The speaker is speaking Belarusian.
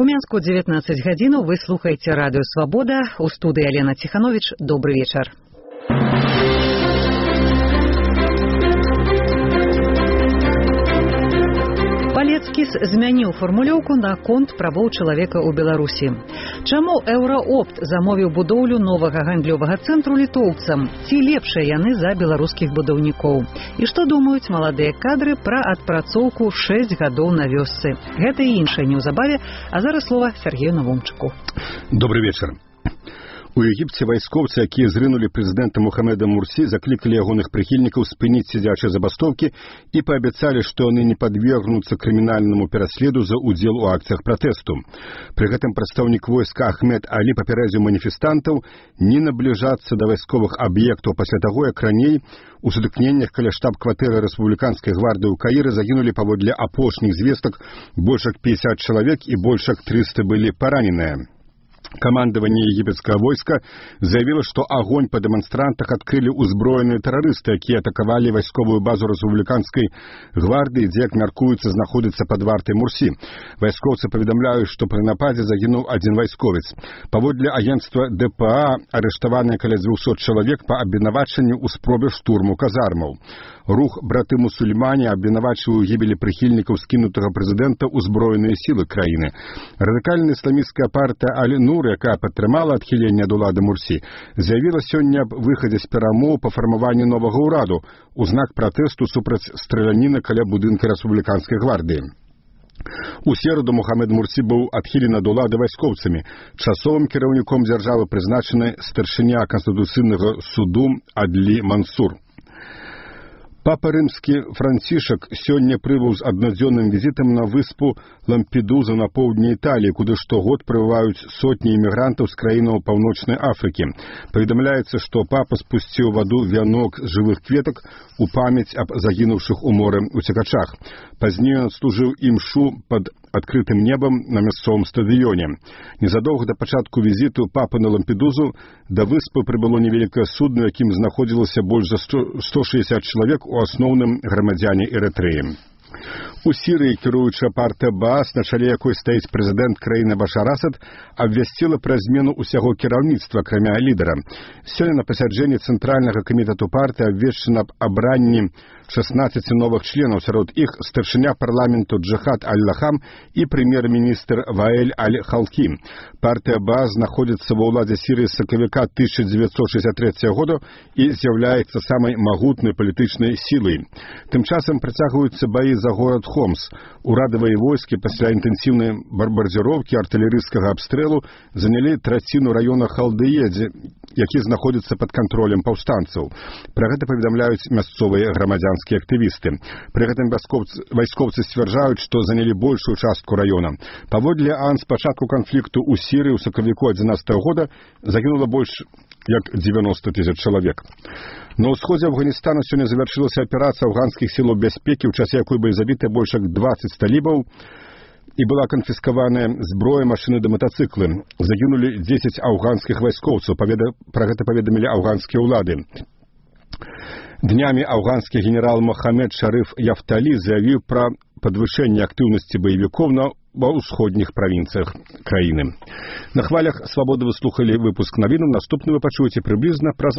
У Мінску 19 гадзінаў вы слухаеце радыё «Свабода». У студыі Алена Ціхановіч. Добры вечар. Палецкіс змяніў фармулёўку на конт правоў чалавека ў Беларусі. Чаму Еўраопт замовіў будоўлю новага гандлёвага цэнтру літоўцам? Ці лепшыя яны за беларускіх будаўнікоў? І што думаюць маладыя кадры пра адпрацоўку 6 гадоў на вёсцы? Гэта і іншае неўзабаве, а зараз слова Сергею Навумчыку. Добрый вечер. У Егіпце вайскоўцы, якія зрынулі прэзідэнта Мухаммеда Мурсі, заклікалі ягоных прыхільнікаў спыніць сядзячыя забастовкі і паабяцалі, што яны не падвергнуцца крымінальнаму пераследу за удзел у акцыях пратэсту. Пры гэтым прадстаўнік войска Ахмед Алі папярэдзіў маніфестантаў не набліжацца да вайсковых аб'ектаў пасля таго, як раней у сутыкненнях каля штаб-кватэры рэспубліканскай гвардыі ў Каіры загінулі паводле апошніх звестак больш як 50 чалавек і больш як 300 былі параненыя. Камандаванне егіпецкага войска заявіла, што агонь па дэманстрантах адкрылі ўзброеныя тэрарысты, якія атакавалі вайсковую базу рэспубліканскай гвардыі, дзе, як мяркуецца, знаходзіцца пад вартай Мурсі. Вайскоўцы паведамляюць, што пры нападзе загінуў адзін вайсковец. Паводле агенцтва ДПА арыштаваныя каля 200 чалавек па абвінавачанню ў спробе штурму казармаў. Рух браты-мусульмане абвінавачваў у гібелі прыхільнікаў скінутага прэзідэнта ўзброеныя сілы краіны. Радыкальная ісламісцкая партыя Аль-Нур, якая падтрымала адхіленне ад улады Мурсі, заявіла сёння аб выхадзе з перамоў па фармаванні новага ўраду у знак пратэсту супраць страляніны каля будынка рэспубліканскай гвардыі. У сераду Мухаммед Мурсі быў адхілены ад улады вайскоўцамі. Часовым кіраўніком дзяржавы прызначаны старшыня Канстытуцыйнага суду Адлі Мансур. Папа рымскі Францішак сёння прыбыў з аднадзённым візітам на выспу Лампедуза на поўдні Італіі, куды штогод прыбываюць сотні імігрантаў з краінаў Паўночнай Афрыкі. Паведамляецца, што папа спусціў ваду вянок з жывых кветак у памяць аб загінуўшых у моры уцекачах. Пазней ён адслужыў імшу пад адкрытым небам на мясцовым стадыёне. Незадоўга да пачатку візіту папы на Лампедузу да выспы прыбыло невялікае судно, якім знаходзілася больш за 160 чалавек, у асноўным грамадзяне Эрытрэі. У Сірыі кіруючая партыя Баас, на чале якой стаіць прэзідэнт краіны Башар Асад, абвясціла пра змену ўсяго кіраўніцтва, акрамя лідара. Сёння на пасяджэнні цэнтральнага камітэту партыі абвешчана аб абранні 16 новых членаў, сярод іх старшыня парламенту Джихад Аль-Лахам і прэм'ер-міністр Ваэль Аль-Халкі. Партыя Баас знаходзіцца ва ўладзе Сірыі з сакавіка 1963 года і з'яўляецца самай магутнай палітычнай сілай. Тым часам працягваюцца баі за горад Хомс. Урадавыя войскі пасля інтэнсіўнай бомбардзіроўкі артылерыйскага абстрэлу занялі траціну раёна Халдыедзе, які знаходзіцца пад кантролем паўстанцаў. Пра гэта паведамляюць мясцовыя грамадзянскія актывісты. Пры гэтым вайскоўцы сцвярджаюць, што занялі большую частку раёна. Паводле ААН з пачатку канфлікту ў Сірыі ў сакавіку 2011 года загінула больш як 90 тысяч чалавек. На ўсходзе Афганістана сёння завяршылася аперацыя афганскіх сілаў бяспекі, у часе якой былі забіты больш як 20 талібаў і была канфіскаваная зброя, машыны да матацыклы. Загінулі 10 афганскіх вайскоўцаў, пра гэта паведамілі афганскія ўлады. Днямі афганскі генерал Мохаммед Шарыф Яфталі заявіў пра падвышэнне актыўнасці баевікоў ва ўсходніх правінцыях краіны. На хвалях «Свабоды» вы слухалі выпуск навінаў. Наступны вы пачуеце прыблізна праз